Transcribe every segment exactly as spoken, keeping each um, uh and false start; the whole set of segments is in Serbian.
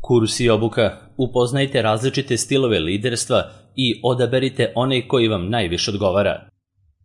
Kurs i obuka. Upoznajte različite stilove liderstva i odaberite onaj koji vam najviše odgovara.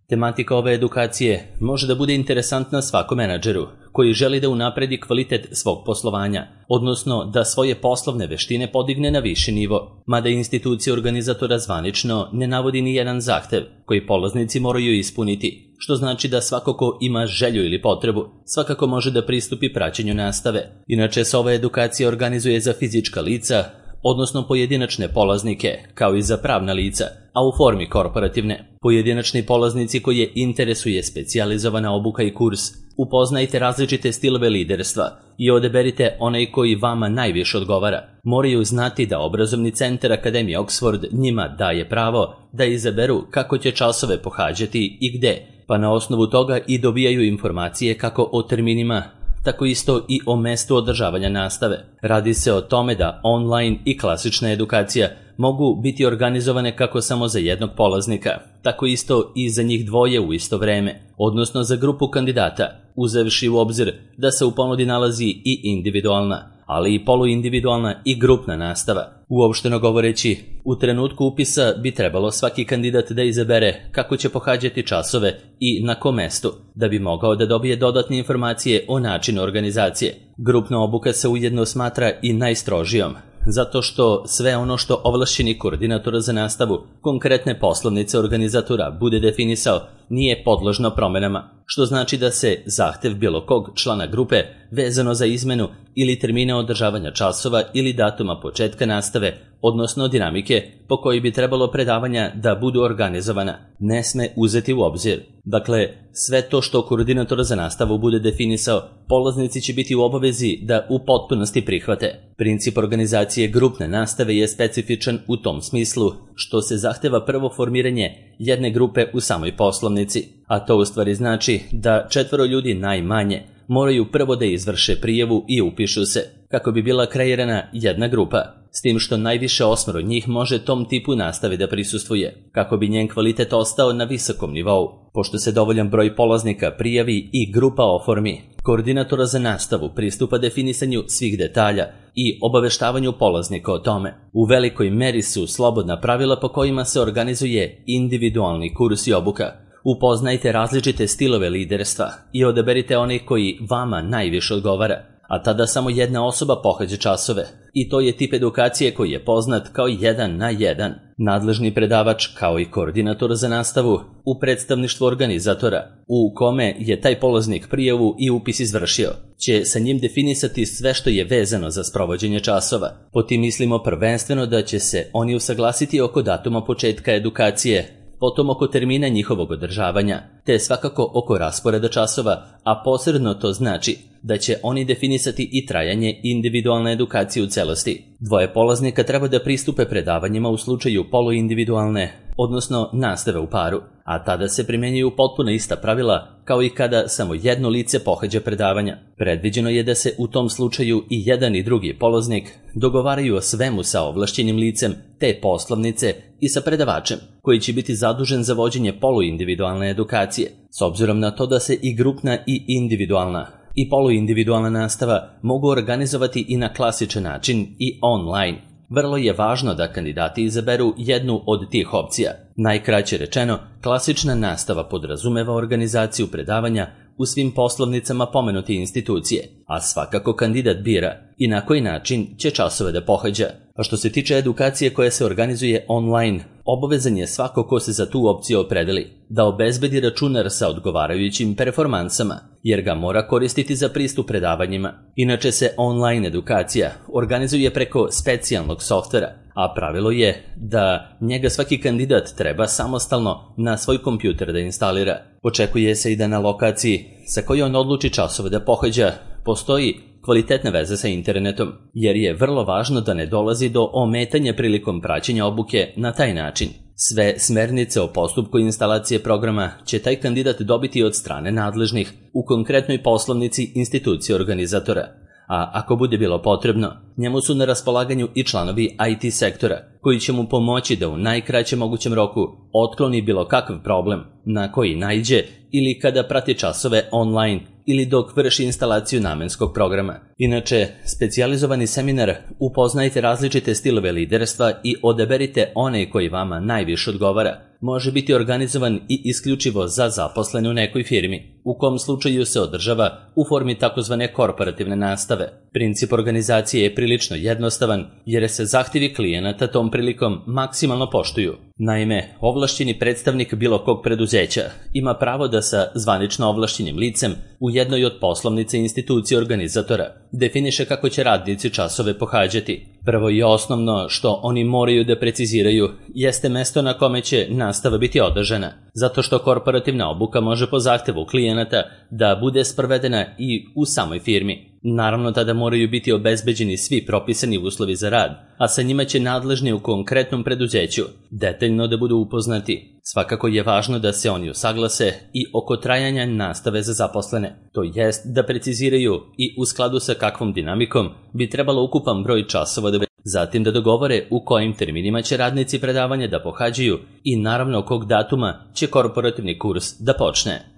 Tematika ove edukacije može da bude interesantna svakom menadžeru koji želi da unapredi kvalitet svog poslovanja, odnosno da svoje poslovne veštine podigne na viši nivo, mada institucija organizatora zvanično ne navodi ni jedan zahtev koji polaznici moraju ispuniti, što znači da svako ko ima želju ili potrebu svakako može da pristupi praćenju nastave. Inače se ova edukacija organizuje za fizička lica, odnosno pojedinačne polaznike, kao i za pravna lica, a u formi korporativne. Pojedinačni polaznici koje interesuje specijalizovana obuka i kurs, upoznajte različite stilove liderstva i odaberite onaj koji vama najviše odgovara. Moraju znati da obrazovni centar Akademije Oxford njima daje pravo da izaberu kako će časove pohađati i gde, pa na osnovu toga i dobijaju informacije kako o terminima, tako isto i o mestu održavanja nastave. Radi se o tome da online i klasična edukacija mogu biti organizovane kako samo za jednog polaznika, tako isto i za njih dvoje u isto vreme, odnosno za grupu kandidata, uzevši u obzir da se u ponudi nalazi i individualna, ali i poluindividualna i grupna nastava. Uopšteno govoreći, u trenutku upisa bi trebalo svaki kandidat da izabere kako će pohađati časove i na kom mestu, da bi mogao da dobije dodatne informacije o načinu organizacije. Grupna obuka se ujedno smatra i najstrožijom, zato što sve ono što ovlašćeni koordinator za nastavu konkretne poslovnice organizatora bude definisao nije podložno promenama, što znači da se zahtev bilo kog člana grupe vezano za izmenu ili termina održavanja časova ili datuma početka nastave, odnosno dinamike po kojoj bi trebalo predavanja da budu organizovana, ne sme uzeti u obzir. Dakle, sve to što koordinator za nastavu bude definisao, polaznici će biti u obavezi da u potpunosti prihvate. Princip organizacije grupne nastave je specifičan u tom smislu što se zahteva prvo formiranje jedne grupe u samoj poslovnici, a to u stvari znači da četvoro ljudi najmanje moraju prvo da izvrše prijavu i upišu se, kako bi bila kreirana jedna grupa, s tim što najviše osmoro njih može tom tipu nastave da prisustvuje, kako bi njen kvalitet ostao na visokom nivou. Pošto se dovoljan broj polaznika prijavi i grupa oformi, koordinatora za nastavu pristupa definisanju svih detalja i obaveštavanju polaznika o tome. U velikoj meri su slobodna pravila po kojima se organizuje individualni kurs i obuka. Upoznajte različite stilove liderstva i odaberite onaj koji vama najviše odgovara, a tada samo jedna osoba pohađa časove. I to je tip edukacije koji je poznat kao jedan na jedan. Nadležni predavač, kao i koordinator za nastavu, u predstavništvu organizatora, u kome je taj polaznik prijavu i upis izvršio, će sa njim definisati sve što je vezano za sprovođenje časova. Po tim mislimo prvenstveno da će se oni usaglasiti oko datuma početka edukacije, potom oko termina njihovog održavanja, te svakako oko rasporeda časova, a posredno to znači da će oni definisati i trajanje individualne edukacije u celosti. Dvoje polaznika treba da pristupe predavanjima u slučaju poluindividualne, odnosno nastave u paru, a tada se primjenjuju potpuno ista pravila kao i kada samo jedno lice pohađa predavanja. Predviđeno je da se u tom slučaju i jedan i drugi polaznik dogovaraju o svemu sa ovlašćenim licem te poslovnice i sa predavačem, koji će biti zadužen za vođenje poluindividualne edukacije, s obzirom na to da se i grupna i individualna i poluindividualna nastava mogu organizovati i na klasičan način i online. Vrlo je važno da kandidati izaberu jednu od tih opcija. Najkraće rečeno, klasična nastava podrazumeva organizaciju predavanja u svim poslovnicama pomenute institucije, a svakako kandidat bira i na koji način će časove da pohađa. A što se tiče edukacije koja se organizuje online, obavezan je svako ko se za tu opciju opredeli da obezbedi računar sa odgovarajućim performansama, jer ga mora koristiti za pristup predavanjima. Inače se online edukacija organizuje preko specijalnog softvera, a pravilo je da njega svaki kandidat treba samostalno na svoj kompjuter da instalira. Očekuje se i da na lokaciji sa kojoj on odluči časove da pohađa postoji kvalitetna veza sa internetom, jer je vrlo važno da ne dolazi do ometanja prilikom praćenja obuke na taj način. Sve smernice o postupku instalacije programa će taj kandidat dobiti od strane nadležnih u konkretnoj poslovnici institucije organizatora, a ako bude bilo potrebno, njemu su na raspolaganju i članovi I T sektora, koji će mu pomoći da u najkraćem mogućem roku otkloni bilo kakav problem na koji naiđe ili kada prati časove online ili dok vrši instalaciju namenskog programa. Inače, specijalizovani seminar Upoznajte različite stilove liderstva i odaberite one koji vama najviše odgovara može biti organizovan i isključivo za zaposlene u nekoj firmi, u kom slučaju se održava u formi takozvane korporativne nastave. Princip organizacije je prilično jednostavan jer se zahtjevi klijenata tom prilikom maksimalno poštuju. Naime, ovlašćeni predstavnik bilo kog preduzeća ima pravo da sa zvanično ovlašćenim licem u jednoj od poslovnice institucije organizatora definiše kako će radnici časove pohađati. Prvo i osnovno što oni moraju da preciziraju jeste mesto na kome će nastava biti održana, zato što korporativna obuka može po zahtevu klijenata da bude sprovedena i u samoj firmi. Naravno, tada moraju biti obezbeđeni svi propisani uslovi za rad, a sa njima će nadležni u konkretnom preduzeću detaljno da budu upoznati. Svakako je važno da se oni usaglase i oko trajanja nastave za zaposlene, to jest da preciziraju i u skladu sa kakvom dinamikom bi trebalo ukupan broj časova da zatim da dogovore u kojim terminima će radnici predavanja da pohađaju i naravno kog datuma će korporativni kurs da počne.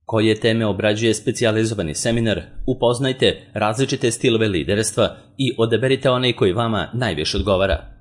Koje teme obrađuje specijalizovani seminar, upoznajte različite stilove liderstva i odaberite onaj koji vama najviše odgovara.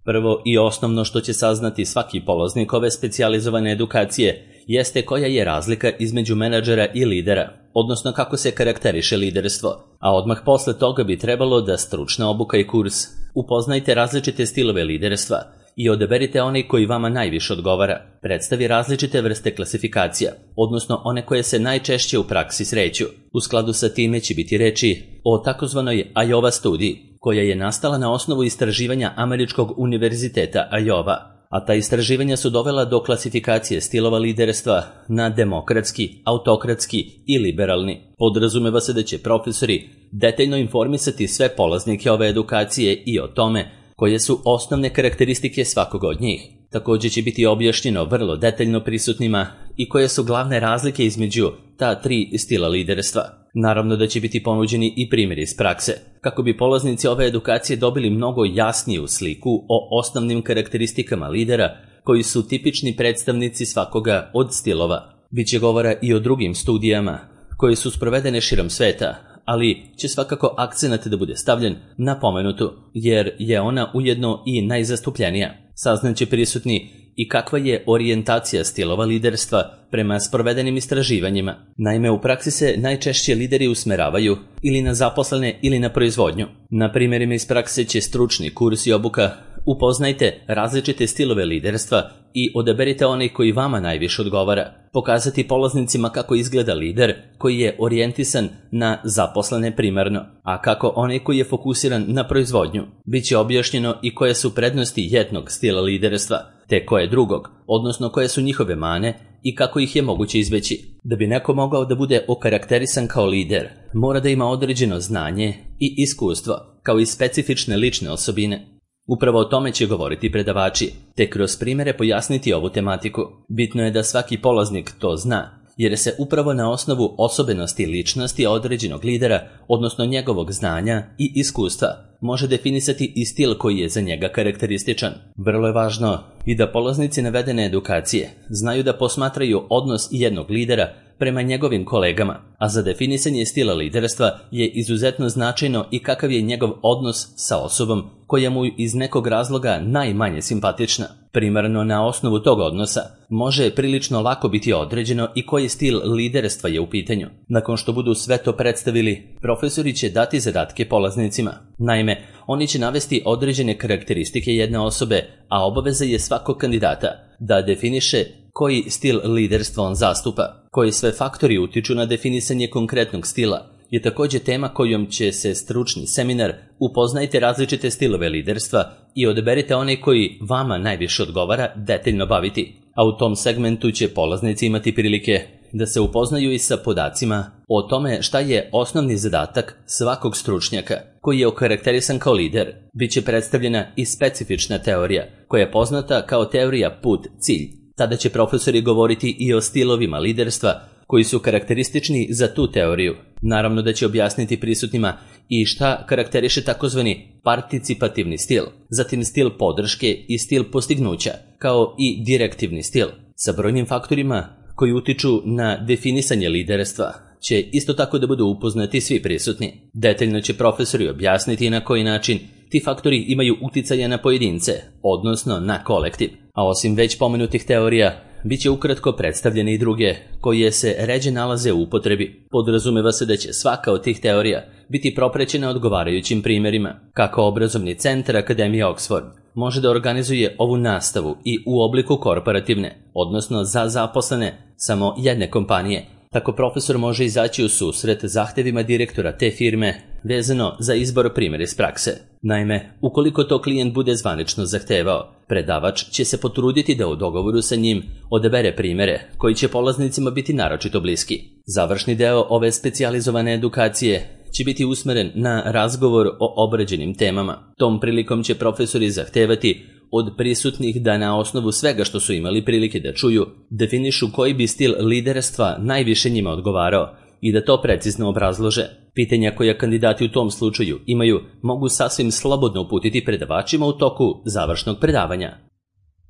Prvo i osnovno što će saznati svaki polaznik ove specijalizovane edukacije jeste koja je razlika između menadžera i lidera, odnosno kako se karakteriše liderstvo, a odmah posle toga bi trebalo da stručna obuka i kurs upoznajte različite stilove liderstva i odaberite onaj koji vama najviše odgovara. Predstavi različite vrste klasifikacija, odnosno one koje se najčešće u praksi sreću. U skladu sa time će biti reči o takozvanoj Iowa studiji, koja je nastala na osnovu istraživanja Američkog univerziteta Iowa, a ta istraživanja su dovela do klasifikacije stilova liderstva na demokratski, autokratski i liberalni. Podrazumeva se da će profesori detaljno informisati sve polaznike ove edukacije i o tome koje su osnovne karakteristike svakog od njih. Također će biti objašnjeno vrlo detaljno prisutnima i koje su glavne razlike između ta tri stila liderstva. Naravno da će biti ponuđeni i primjeri iz prakse, kako bi polaznici ove edukacije dobili mnogo jasniju sliku o osnovnim karakteristikama lidera koji su tipični predstavnici svakoga od stilova. Biće govora i o drugim studijama koje su sprovedene širom sveta, ali će svakako akcenat da bude stavljen na pomenutu, jer je ona ujedno i najzastupljenija. Saznaće prisutni i kakva je orijentacija stilova liderstva prema sprovedenim istraživanjima. Naime, u praksi se najčešće lideri usmeravaju ili na zaposlene ili na proizvodnju. Na primjerima iz prakse će stručni kurs i obuka upoznajte različite stilove liderstva i odaberite onaj koji vama najviše odgovara. Pokazati polaznicima kako izgleda lider koji je orijentisan na zaposlene primarno, a kako onaj koji je fokusiran na proizvodnju. Biće objašnjeno i koje su prednosti jednog stila liderstva, te koje drugog, odnosno koje su njihove mane i kako ih je moguće izbeći. Da bi neko mogao da bude okarakterisan kao lider, mora da ima određeno znanje i iskustvo, kao i specifične lične osobine. Upravo o tome će govoriti predavači, te kroz primjere pojasniti ovu tematiku. Bitno je da svaki polaznik to zna, jer se upravo na osnovu osobenosti ličnosti određenog lidera, odnosno njegovog znanja i iskustva, može definisati i stil koji je za njega karakterističan. Vrlo je važno i da polaznici navedene edukacije znaju da posmatraju odnos jednog lidera prema njegovim kolegama, a za definisanje stila liderstva je izuzetno značajno i kakav je njegov odnos sa osobom koja mu iz nekog razloga najmanje simpatična. Primarno na osnovu tog odnosa može prilično lako biti određeno i koji stil liderstva je u pitanju. Nakon što budu sve to predstavili, profesori će dati zadatke polaznicima. Naime, oni će navesti određene karakteristike jedne osobe, a obaveza je svakog kandidata da definiše koji stil liderstva on zastupa. Koji sve faktori utiču na definisanje konkretnog stila je također tema kojom će se stručni seminar Upoznajte različite stilove liderstva i odaberite onaj koji vama najviše odgovara detaljno baviti. A u tom segmentu će polaznici imati prilike da se upoznaju i sa podacima o tome šta je osnovni zadatak svakog stručnjaka koji je okarakterisan kao lider. Biće predstavljena i specifična teorija koja je poznata kao teorija put-cilj. Tada će profesori govoriti i o stilovima liderstva koji su karakteristični za tu teoriju. Naravno da će objasniti prisutnima i šta karakteriše takozvani participativni stil, zatim stil podrške i stil postignuća, kao i direktivni stil, sa brojnim faktorima koji utiču na definisanje liderstva će isto tako da budu upoznati svi prisutni. Detaljno će profesori objasniti na koji način ti faktori imaju uticaja na pojedince, odnosno na kolektiv. A osim već pomenutih teorija, bit će ukratko predstavljene i druge, koje se ređe nalaze u upotrebi. Podrazumeva se da će svaka od tih teorija biti proprećena odgovarajućim primjerima. Kako obrazovni centar Akademije Oxford može da organizuje ovu nastavu i u obliku korporativne, odnosno za zaposlene samo jedne kompanije, tako profesor može izaći u susret zahtevima direktora te firme vezano za izbor primjera iz prakse. Naime, ukoliko to klijent bude zvanično zahtevao, predavač će se potruditi da u dogovoru sa njim odabere primjere koji će polaznicima biti naročito bliski. Završni deo ove specijalizovane edukacije će biti usmeren na razgovor o obrađenim temama. Tom prilikom će profesori zahtevati od prisutnih da na osnovu svega što su imali prilike da čuju, definišu koji bi stil liderstva najviše njima odgovarao i da to precizno obrazlože. Pitanja koja kandidati u tom slučaju imaju mogu sasvim slobodno uputiti predavačima u toku završnog predavanja.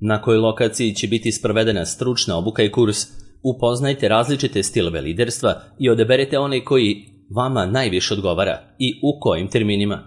Na kojoj lokaciji će biti sprovedena stručna obuka i kurs, upoznajte različite stilove liderstva i odaberete onaj koji vama najviše odgovara i u kojim terminima.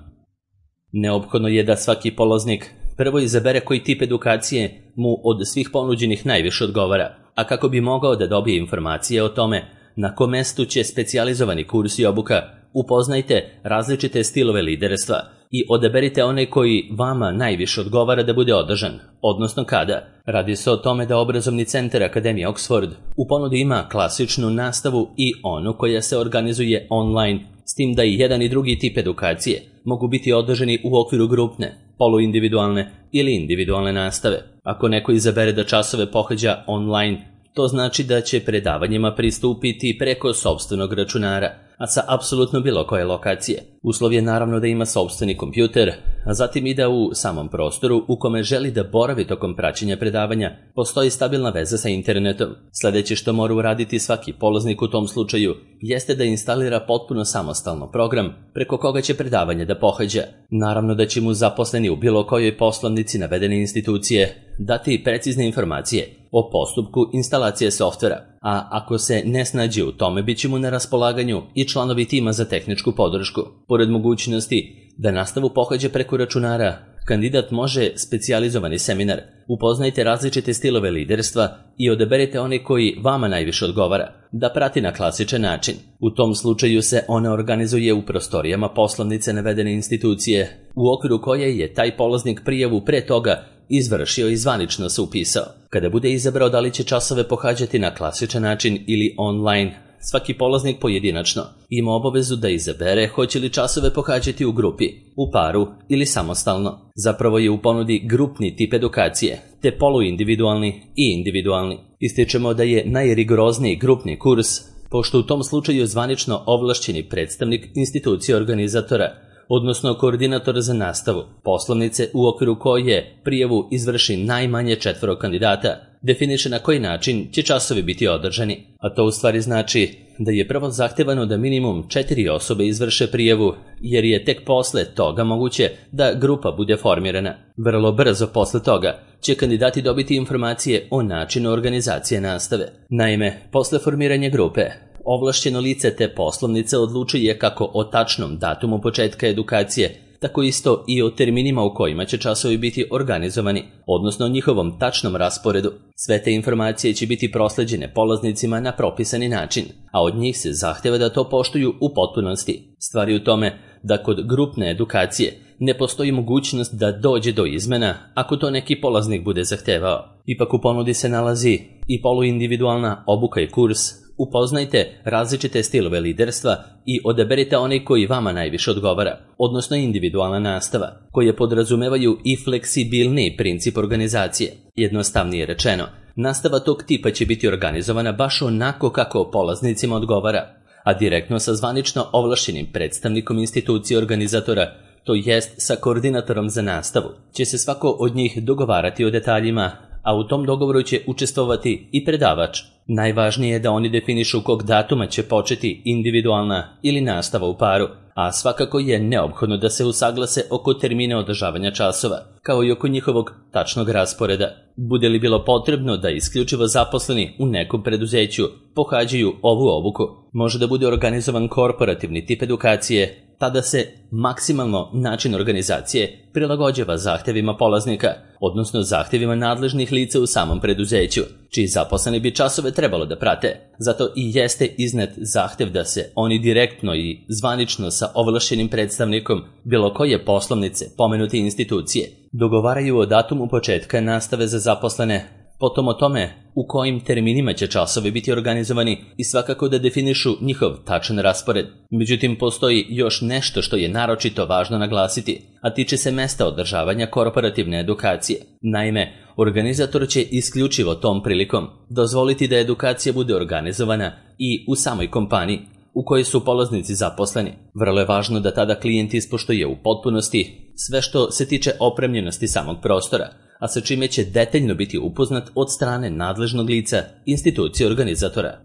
Neophodno je da svaki polaznik prvo izabere koji tip edukacije mu od svih ponuđenih najviše odgovara, a kako bi mogao da dobije informacije o tome na kom mestu će specijalizovani kurs i obuka, upoznajte različite stilove liderstva i odaberite onaj koji vama najviše odgovara da bude održan, odnosno kada. Radi se o tome da obrazovni centar Akademije Oxford u ponudi ima klasičnu nastavu i onu koja se organizuje online, s tim da i jedan i drugi tip edukacije mogu biti održani u okviru grupne, poluindividualne ili individualne nastave. Ako neko izabere da časove pohađa online, to znači da će predavanjima pristupiti preko sopstvenog računara, a sa apsolutno bilo koje lokacije. Uslov je naravno da ima sopstveni kompjuter, a zatim i da u samom prostoru u kome želi da boravi tokom praćenja predavanja postoji stabilna veza sa internetom. Sljedeće što mora uraditi svaki polaznik u tom slučaju jeste da instalira potpuno samostalno program preko koga će predavanje da pohađa. Naravno da će mu zaposleni u bilo kojoj poslovnici navedene institucije dati precizne informacije o postupku instalacije softvera, a ako se ne snađe u tome, bit će mu na raspolaganju i članovi tima za tehničku podršku. Pored mogućnosti da nastavu pohađa preko računara, kandidat može specijalizovani seminar, upoznajte različite stilove liderstva i odaberite one koji vama najviše odgovara, da prati na klasičan način. U tom slučaju se ona organizuje u prostorijama poslovnice navedene institucije, u okviru koje je taj polaznik prijavu pre toga izvršio i zvanično se upisao. Kada bude izabrao da li će časove pohađati na klasičan način ili online, svaki polaznik pojedinačno ima obavezu da izabere hoće li časove pohađati u grupi, u paru ili samostalno. Zapravo je u ponudi grupni tip edukacije, te poluindividualni i individualni. Ističemo da je najrigorozniji grupni kurs, pošto u tom slučaju zvanično ovlašćeni predstavnik institucije organizatora, odnosno koordinator za nastavu, poslovnice u okviru koje prijavu izvrši najmanje četvoro kandidata, definiše na koji način će časovi biti održani. A to u stvari znači da je prvo zahtevano da minimum četiri osobe izvrše prijavu, jer je tek posle toga moguće da grupa bude formirana. Vrlo brzo posle toga će kandidati dobiti informacije o načinu organizacije nastave. Naime, posle formiranja grupe, ovlašćeno lice te poslovnice odlučuje kako o tačnom datumu početka edukacije, tako isto i o terminima u kojima će časovi biti organizovani, odnosno o njihovom tačnom rasporedu. Sve te informacije će biti prosleđene polaznicima na propisani način, a od njih se zahteva da to poštuju u potpunosti. Stvar je u tome da kod grupne edukacije ne postoji mogućnost da dođe do izmena ako to neki polaznik bude zahtevao. Ipak u ponudi se nalazi i poluindividualna obuka i kurs. Upoznajte različite stilove liderstva i odaberite onaj koji vama najviše odgovara, odnosno individualna nastava, koje podrazumevaju i fleksibilniji princip organizacije. Jednostavnije rečeno, nastava tog tipa će biti organizovana baš onako kako polaznicima odgovara, a direktno sa zvanično ovlašćenim predstavnikom institucije organizatora, to jest sa koordinatorom za nastavu, će se svako od njih dogovarati o detaljima, a u tom dogovoru će učestvovati i predavač. Najvažnije je da oni definišu kog datuma će početi individualna ili nastava u paru, a svakako je neophodno da se usaglase oko termina održavanja časova, kao i oko njihovog tačnog rasporeda. Bude li bilo potrebno da isključivo zaposleni u nekom preduzeću pohađaju ovu obuku, može da bude organizovan korporativni tip edukacije, tada se maksimalno način organizacije prilagođava zahtevima polaznika, odnosno zahtevima nadležnih lica u samom preduzeću, čiji zaposleni bi časove trebalo da prate. Zato i jeste iznet zahtev da se oni direktno i zvanično sa ovlašćenim predstavnikom bilo koje poslovnice pomenute institucije dogovaraju o datumu početka nastave za zaposlene, potom o tome u kojim terminima će časovi biti organizovani i svakako da definišu njihov tačan raspored. Međutim, postoji još nešto što je naročito važno naglasiti, a tiče se mesta održavanja korporativne edukacije. Naime, organizator će isključivo tom prilikom dozvoliti da edukacija bude organizovana i u samoj kompaniji u kojoj su polaznici zaposleni. Vrlo je važno da tada klijent ispoštuje u potpunosti sve što se tiče opremljenosti samog prostora, a sa čime će detaljno biti upoznat od strane nadležnog lica institucije organizatora.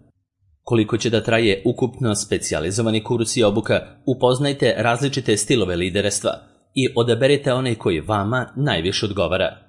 Koliko će da traje ukupno specijalizovani kurs i obuka, upoznajte različite stilove liderstva i odaberite onaj koji vama najviše odgovara.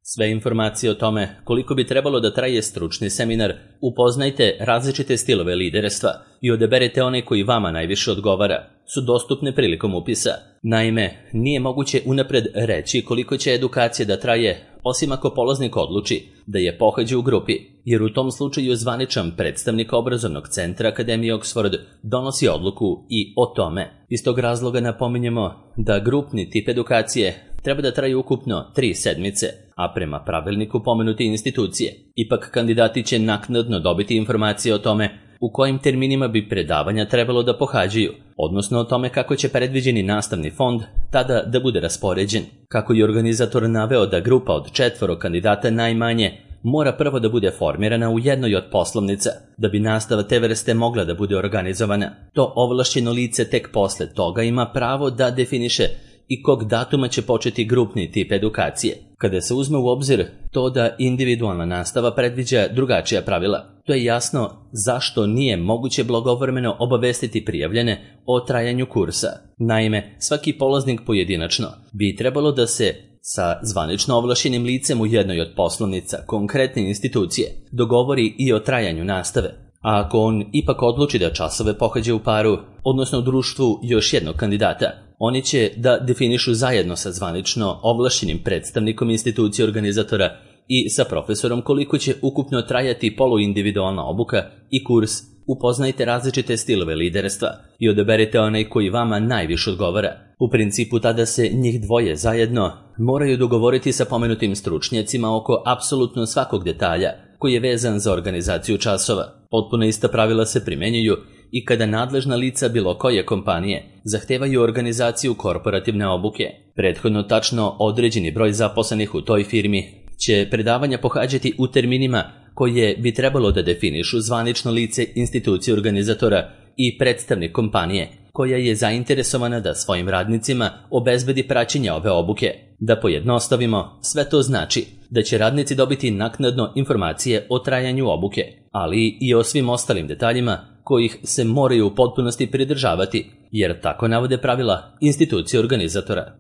Sve informacije o tome koliko bi trebalo da traje stručni seminar, upoznajte različite stilove liderstva i odaberete onaj koji vama najviše odgovara, su dostupne prilikom upisa. Naime, nije moguće unapred reći koliko će edukacija da traje, osim ako polaznik odluči da je pohađa u grupi, jer u tom slučaju zvaničan predstavnik obrazovnog centra Akademije Oxford donosi odluku i o tome. Iz tog razloga napominjemo da grupni tip edukacije treba da traje ukupno tri sedmice, a prema pravilniku pomenute institucije. Ipak kandidati će naknadno dobiti informacije o tome u kojim terminima bi predavanja trebalo da pohađaju, odnosno o tome kako će predviđeni nastavni fond tada da bude raspoređen. Kako je organizator naveo da grupa od četvoro kandidata najmanje mora prvo da bude formirana u jednoj od poslovnica, da bi nastava te vrste mogla da bude organizovana. To ovlašćeno lice tek posle toga ima pravo da definiše i kog datuma će početi grupni tip edukacije. Kada se uzme u obzir to da individualna nastava predviđa drugačija pravila, to je jasno zašto nije moguće blagovremeno obavestiti prijavljene o trajanju kursa. Naime, svaki polaznik pojedinačno bi trebalo da se sa zvanično ovlašćenim licem u jednoj od poslovnica konkretne institucije dogovori i o trajanju nastave. A ako on ipak odluči da časove pohađa u paru, odnosno u društvu još jednog kandidata, oni će da definišu zajedno sa zvanično ovlašćenim predstavnikom institucije organizatora i sa profesorom koliko će ukupno trajati poluindividualna obuka i kurs. Upoznajte različite stilove liderstva i odaberite onaj koji vama najviše odgovara. U principu tada se njih dvoje zajedno moraju dogovoriti sa pomenutim stručnjacima oko apsolutno svakog detalja koji je vezan za organizaciju časova. Potpuno ista pravila se primenjuju i kada nadležna lica bilo koje kompanije zahtevaju organizaciju korporativne obuke. Prethodno tačno određeni broj zaposlenih u toj firmi će predavanja pohađati u terminima koje bi trebalo da definišu zvanično lice institucije organizatora i predstavnik kompanije koja je zainteresovana da svojim radnicima obezbedi praćenje ove obuke. Da pojednostavimo, sve to znači da će radnici dobiti naknadno informacije o trajanju obuke, ali i o svim ostalim detaljima kojih se moraju u potpunosti pridržavati, jer tako navode pravila institucije organizatora.